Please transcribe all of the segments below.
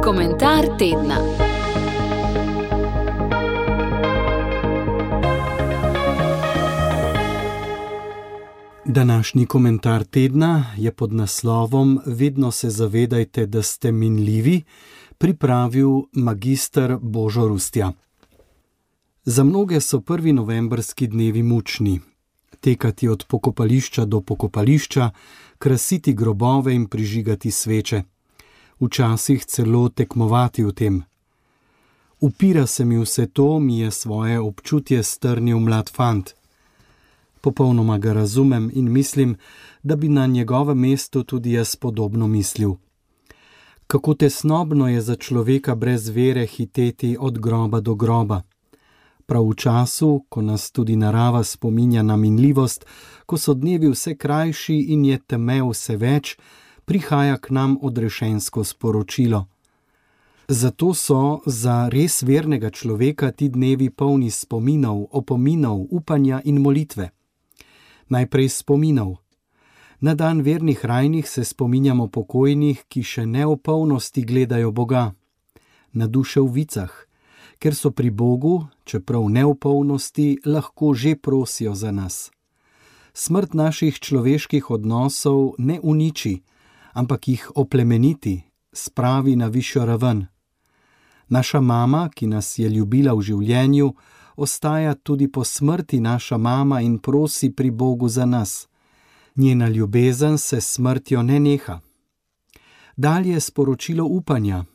Komentar tedna. Današnji komentar tedna je pod naslovom Vedno se zavedajte, da ste minljivi, pripravil magister Božo Rustja. Za mnoge so 1. novembrski dnevi mučni. Tekati od pokopališča do pokopališča, krasiti grobove in prižigati sveče. Včasih celo tekmovati v tem. Upira se mi vse to, mi je svoje občutje strnil mlad fant. Popolnoma ga razumem in mislim, da bi na njegovem mestu tudi jaz podobno mislil. Kako tesnobno je za človeka brez vere hiteti od groba do groba. Prav v času, ko nas tudi narava spominja na minljivost, ko so dnevi vse krajši in je teme vse več, prihaja k nam odrešensko sporočilo. Zato so za res vernega človeka ti dnevi polni spominov, opominov, upanja in molitve. Najprej spominov. Na dan vernih rajnih se spominjamo pokojnih, ki še ne v polnosti gledajo Boga. Na duše v vicah, ker so pri Bogu, čeprav ne v polnosti, lahko že prosijo za nas. Smrt naših človeških odnosov ne uniči, ampak jih oplemeniti, spravi na višjo raven. Naša mama, ki nas je ljubila v življenju, ostaja tudi po smrti naša mama in prosi pri Bogu za nas. Njena ljubezen se s smrtjo ne neha. Dalje sporočilo upanja.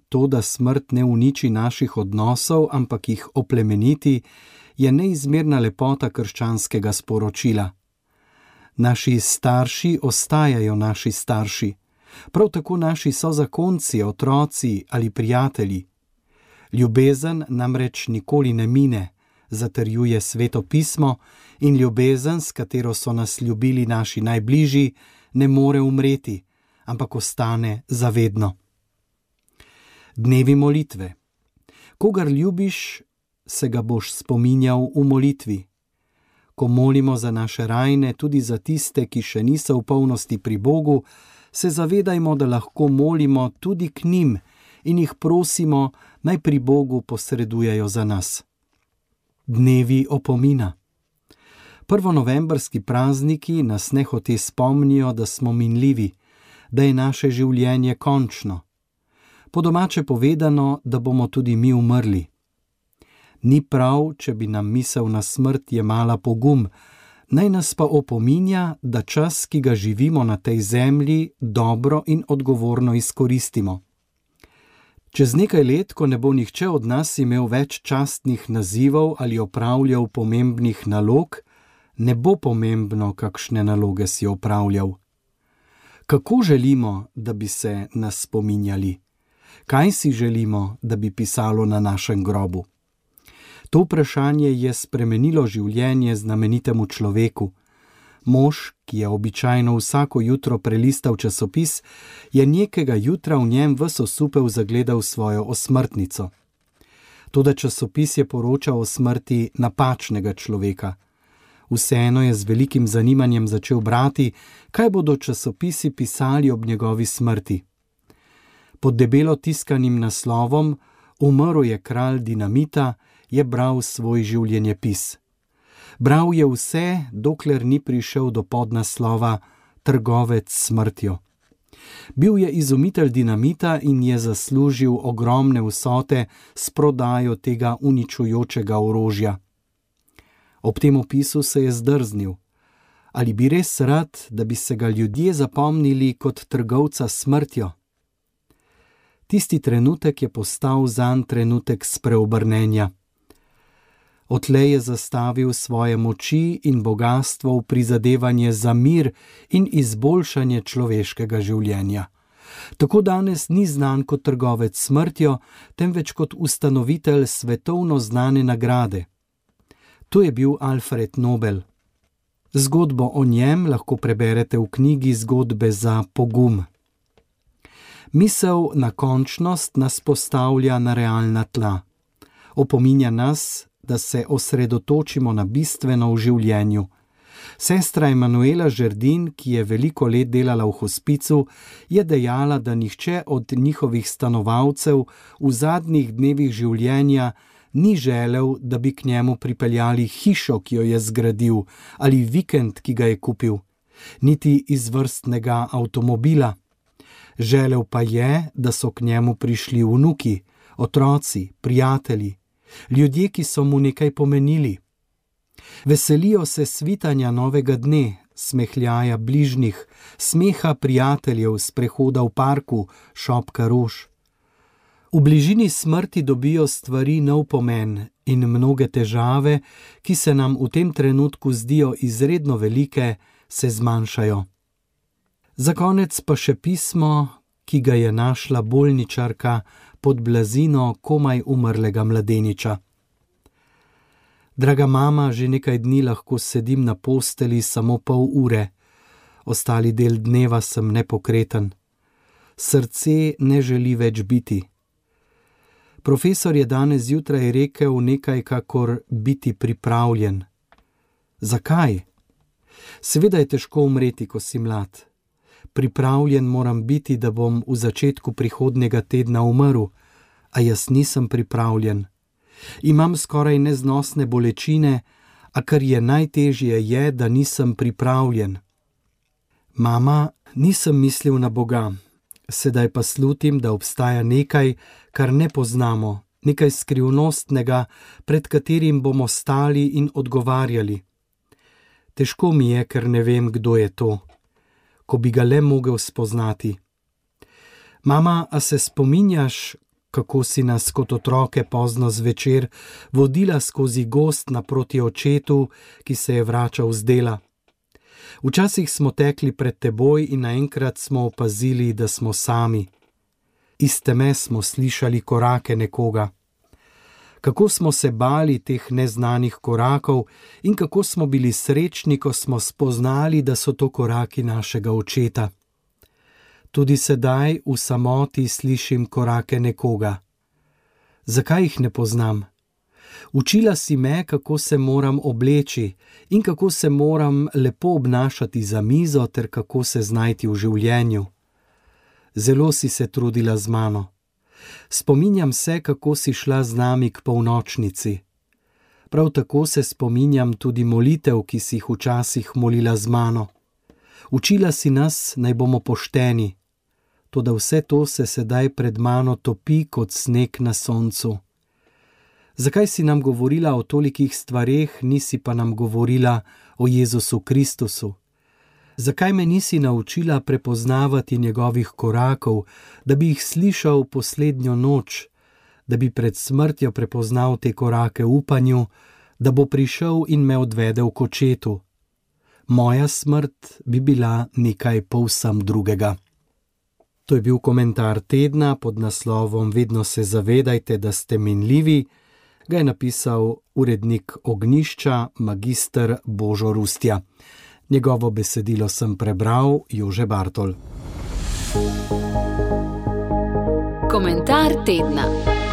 To, da smrt ne uniči naših odnosov, ampak jih oplemeniti, je neizmerna lepota krščanskega sporočila. Naši starši ostajajo naši starši, prav tako naši sozakonci, otroci ali prijatelji. Ljubezen namreč nikoli ne mine, zatrjuje Sveto pismo, in ljubezen, s katero so nas ljubili naši najbližji, ne more umreti, ampak ostane zavedno. Dnevi molitve. Kogar ljubiš, se ga boš spominjal v molitvi. Ko molimo za naše rajne, tudi za tiste, ki še niso v polnosti pri Bogu, se zavedajmo, da lahko molimo tudi k njim in jih prosimo, naj pri Bogu posredujejo za nas. Dnevi opomina. Prvonovembrski prazniki nas nehote spomnijo, da smo minljivi, da je naše življenje končno. Po domače povedano, da bomo tudi mi umrli. Ni prav, če bi nam misel na smrt jemala pogum, naj nas pa opominja, da čas, ki ga živimo na tej zemlji, dobro in odgovorno izkoristimo. Čez nekaj let, ko ne bo nihče od nas imel več častnih nazivov ali opravljal pomembnih nalog, ne bo pomembno, kakšne naloge si opravljal. Kako želimo, da bi se nas spominjali? Kaj si želimo, da bi pisalo na našem grobu? To vprašanje je spremenilo življenje znamenitemu človeku. Mož, ki je običajno vsako jutro prelistal časopis, je nekega jutra v njem ves osupel zagledal svojo osmrtnico. Toda časopis je poročal o smrti napačnega človeka. Vseeno je z velikim zanimanjem začel brati, kaj bodo časopisi pisali ob njegovi smrti. Pod debelo tiskanim naslovom Umrl je kralj dinamita, je bral svoj življenjepis. Bral je vse, dokler ni prišel do podnaslova Trgovec s smrtjo. Bil je izumitelj dinamita in je zaslužil ogromne vsote s prodajo tega uničujočega orožja. Ob tem opisu se je zdrznil. Ali bi res rad, da bi se ga ljudje zapomnili kot trgovca s smrtjo? Tisti trenutek je postal zanj trenutek spreobrnenja. Odtlej je zastavil svoje moči in bogastvo v prizadevanje za mir in izboljšanje človeškega življenja. Tako danes ni znan kot trgovec s smrtjo, temveč kot ustanovitelj svetovno znane nagrade. To je bil Alfred Nobel. Zgodbo o njem lahko preberete v knjigi Zgodbe za pogum. Misel na končnost nas postavlja na realna tla. Opominja nas, da se osredotočimo na bistveno v življenju. Sestra Emanuela Žerdin, ki je veliko let delala v hospicu, je dejala, da nihče od njihovih stanovalcev v zadnjih dnevih življenja ni želel, da bi k njemu pripeljali hišo, ki jo je zgradil, ali vikend, ki ga je kupil, niti izvrstnega avtomobila. Želel pa je, da so k njemu prišli vnuki, otroci, prijatelji, ljudje, ki so mu nekaj pomenili. Veselijo se svitanja novega dne, smehljaja bližnjih, smeha prijateljev, sprehoda v parku, šopka rož. V bližini smrti dobijo stvari nov pomen in mnoge težave, ki se nam v tem trenutku zdijo izredno velike, se zmanjšajo. Za konec pa še pismo, ki ga je našla bolničarka pod blazino komaj umrlega mladeniča. Draga mama, že nekaj dni lahko sedim na posteli samo pol ure. Ostali del dneva sem nepokreten. Srce ne želi več biti. Profesor je danes zjutraj rekel nekaj kakor biti pripravljen. Zakaj? Seveda je težko umreti, ko si mlad. Pripravljen moram biti, da bom v začetku prihodnjega tedna umrl, a jaz nisem pripravljen. Imam skoraj neznosne bolečine, a kar je najtežje je, da nisem pripravljen. Mama, nisem mislil na Boga, sedaj pa slutim, da obstaja nekaj, kar ne poznamo, nekaj skrivnostnega, pred katerim bomo stali in odgovarjali. Težko mi je, ker ne vem, kdo je to, ko bi ga le mogel spoznati. Mama, a se spominjaš, kako si nas kot otroke pozno zvečer vodila skozi gozd naproti očetu, ki se je vračal z dela? Včasih smo tekli pred teboj in naenkrat smo opazili, da smo sami. Iz teme smo slišali korake nekoga. Kako smo se bali teh neznanih korakov in kako smo bili srečni, ko smo spoznali, da so to koraki našega očeta. Tudi sedaj v samoti slišim korake nekoga. Zakaj jih ne poznam? Učila si me, kako se moram obleči in kako se moram lepo obnašati za mizo ter kako se znajti v življenju. Zelo si se trudila z mano. Spominjam se, kako si šla z nami k polnočnici. Prav tako se spominjam tudi molitev, ki si jih včasih molila z mano. Učila si nas, naj bomo pošteni. Toda vse to se sedaj pred mano topi kot sneg na soncu. Zakaj si nam govorila o tolikih stvareh, nisi pa nam govorila o Jezusu Kristusu? Zakaj me nisi naučila prepoznavati njegovih korakov, da bi jih slišal poslednjo noč, da bi pred smrtjo prepoznal te korake v upanju, da bo prišel in me odvedel k očetu? Moja smrt bi bila nekaj povsem drugega. To je bil komentar tedna pod naslovom Vedno se zavedajte, da ste minljivi. Ga je napisal urednik Ognjišča, magister Božo Rustja. Njegovo besedilo sem prebral, Jože Bartol. Komentar tedna.